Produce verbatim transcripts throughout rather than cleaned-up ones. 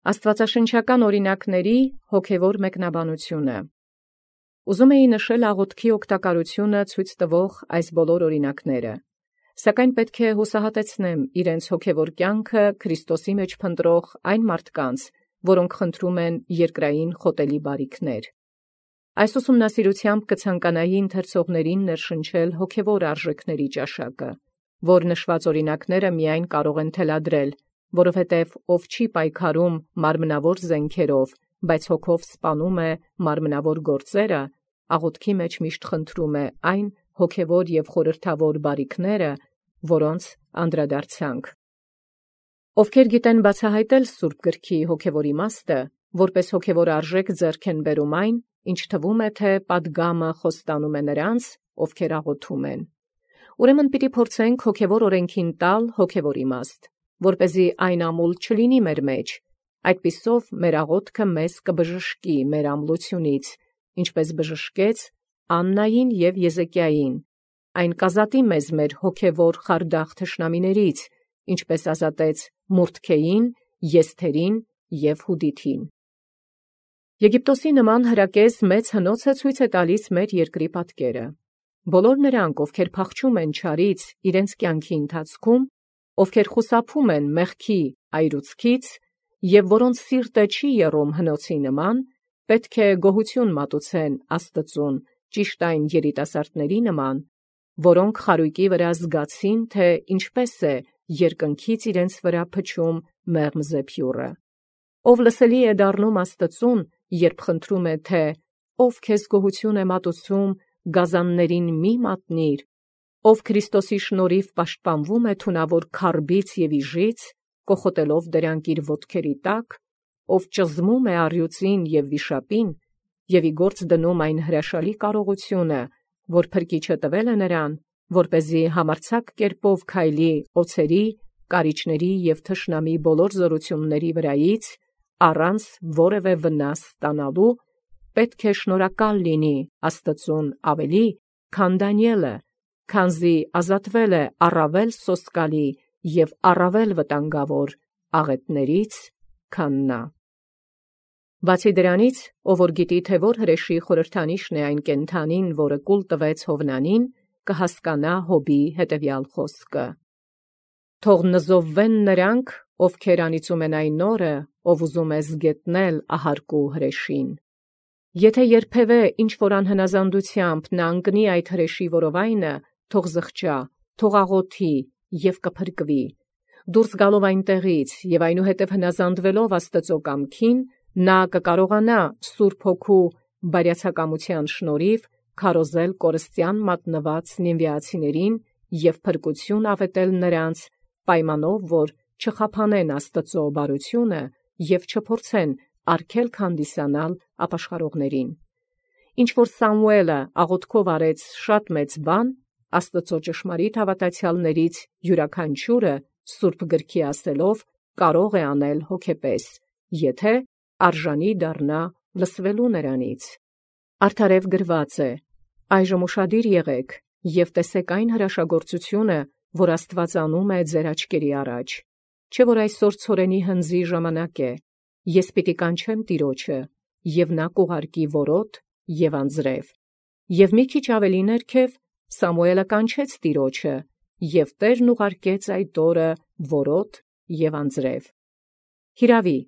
Աստուածաշնչական օրինակների հոգևոր մեկնաբանությունը։ Ուզում էի նշել աղոթքի օգտակարությունը ցույց տվող այս բոլոր օրինակները, սակայն պետք է հուսահատեցնեմ իրենց հոգևոր կյանքը Քրիստոսի մեջ փնտրող այն մարդկանց, որոնք խնդրում են երկրային խոտելի բարիքներ։ Այս ուսումնասիրությամբ կցանկանայի ընթերցողներին ներշնչել հոգևոր արժեքների ճաշակը, որ նշված օրինակները միայն կարող են թելադրել, որովհետև ով չի պայքարում մարմնավոր զենքերով, բայց հոգով սպանում է մարմնավոր գործերը, աղոթքի մեջ միշտ խնդրում է այն հոգևոր և խորհրդավոր բարիքները, որոնց անդրադարձանք։ Ովքեր գիտեն բացահայտել Սուրբ գրքի հոգևոր իմաստը, որպես հոգևոր արժեք ձեռք են բերում այն, ինչ թվում է, թե պատգամը խոստանում է նրանց, ովքեր աղոթում են։ Ուրեմն պիտի փորձենք հոգևոր օրենքին տալ հոգևոր իմաստ, որպեսզի այն ամուլ չլինի մեր մեջ, այդպիսով մեր աղոթքը մեզ կբժշկի մեր ամլությունից, ինչպես բժշկեց Աննային և Եզեկիային, այն կազատի մեզ մեր հոգևոր խարդախ թշնամիներից, ինչպես ազատեց Մուրդքեին, Եսթերին և Հուդիթին։ Եգիպտոսի նման հրակեզ մեծ հնոց է ցույց է տալիս մեր երկրի պատկերը։ Բոլոր նրանք, ովքեր փախչում են չարից իրենց կյանքի ընթացքում, ովքեր խուսափում են մեղքի այրուցքից և որոնց սիրտը չի եռում հնոցի նման, պետք է գոհություն մատուցեն Աստծուն ճիշտ այն երիտասարդների նման, որոնք խարույկի վրա զգացին, թե ինչպես է երկնքից իրենց վրա փչում մեղմ զեփյուռը։ Ով լսելի է դառնում Աստծուն, երբ խնդրում է, թե «Ով քեզ գոհություն է մատուցում, գազաններին մի մատնիր», ով Քրիստոսի շնորհիվ պաշտպանվում է թունավոր քարբից և իժից, կոխոտելով դրանք իր ոտքերի տակ, ով ճզմում է առյուծին և վիշապին, և ի գործ դնում այն հրաշալի կարողությունը, որ Փրկիչը տվել է նրան, որպեսզի համարձակ կերպով քայլի օձերի, կարիճների և թշնամի բոլոր զորությունների վրայից, առանց որևէ վնաս ստանալու, պետք է շնորհակալ լինի Աստծուն ավելի, քան Դանիէլը, քանզի ազատվել է առավել սոսկալի և առավել վտանգավոր աղետներից, քան նա։ Բացի դրանից, ով որ գիտի, թե որ հրեշի խորհրդանիշն է այն կենդանին, որը կուլ տվեց Հովնանին, կհասկանա Հոբի հետևյալ խոսքը. «Թող նզովվեն նրանք, ովքեր անիծում են այն օրը, ով ուզում է զգետնել ահարկու հրեշին։ Եթե երբևէ ինչ-որ անհնազանդությամբ նա ընկնի այդ հրեշի որովայնը, թող զղջա, թող աղոթի և կփրկվի։ Դուրս գալով այնտեղից և այնուհետև հնազանդվելով Աստծու կամքին, նա կկարողանա Սուրբ Հոգու բարյացակամության շնորհիվ քարոզել կորստյան մատնված նինվիացիներին և փրկություն ավետել նրանց, պայմանով, որ չխափանեն Աստծու բարությունը և չփորձեն արգելք հանդիսանալ ապաշխարողներին։ Ինչ որ Սամուէլը աղոթքով արեց շատ մեծ բան, Աստծու ճշմարիտ հավատացյալներից յուրաքանչյուրը Սուրբ գրքի ասելով կարող է անել հոգեպես, եթե արժանի դառնա լսվելու նրանից։ Արդարև գրված է. «Այժմ ուշադիր եղեք և տեսեք այն հրաշագործությունը, որ Աստված անում է ձեր աչքերի առաջ։ Չէ՞ որ այսօր ցորենի հնձի ժամանակ է, ես պիտի կանչեմ Տիրոջը, և նա կուղարկի որոտ և անձրև»։ Եվ մի քիչ ավելի ներքև Սամուէլը կանչեց Տիրոջը, և Տերն ուղարկեց այդ օրը որոտ և անձրև։ Հիրավի,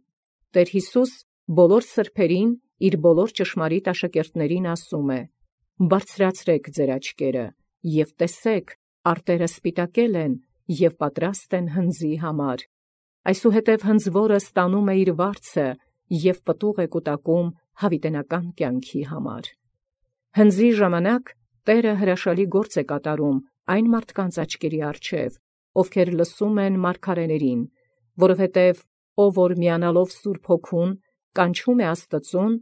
Տեր Յիսուս բոլոր սրբերին իր բոլոր ճշմարիտ աշակերտներին ասում է. «Բարձրացրեք ձեր աչքերը և տեսեք, արտերը սպիտակել են և պատրաստ են հնձի համար։ Այսուհետև հնձվորը ստանում է իր վարձը և պտուղ է կուտակում հավիտենական կյանքի համար»։ Հնձի ժամանակ Տերը հրաշալի գործ է կատարում այն մարդկանց աչքերի առջև, ովքեր լսում են մարգարեներին, որովհետև ով որ միանալով Սուրբ Հոգուն կանչում է Աստծուն,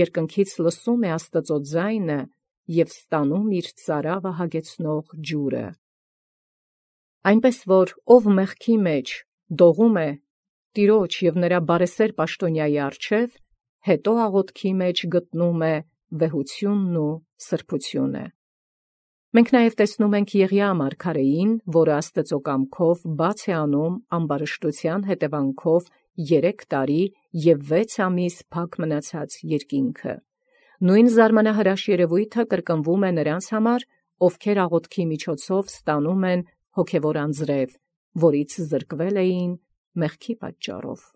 երկնքից լսում է Աստծու ձայնը և ստանում իր ծարավը հագեցնող ջուրը։ Այնպես որ ով մեղքի մեջ դողում է Տիրոջ և նրա բարեսեր պաշտոնյայի առջև, հետո աղոթքի մեջ գտնում է վեհությունն ու սրբությունը։ Մենք նաև տեսնում ենք Եղիա մարգարեին, որը Աստծու կամքով բաց է անում ամբարշտության հետևանքով երեք տարի և վեց ամիս փակ մնացած երկինքը։ Նույն զարմանահրաշ երևույթը կրկնվում է նրանց համար, ովքեր աղոթքի միջոցով ստանում են հոգևոր անձրև, որից զրկվել էին մեղքի պատճառով։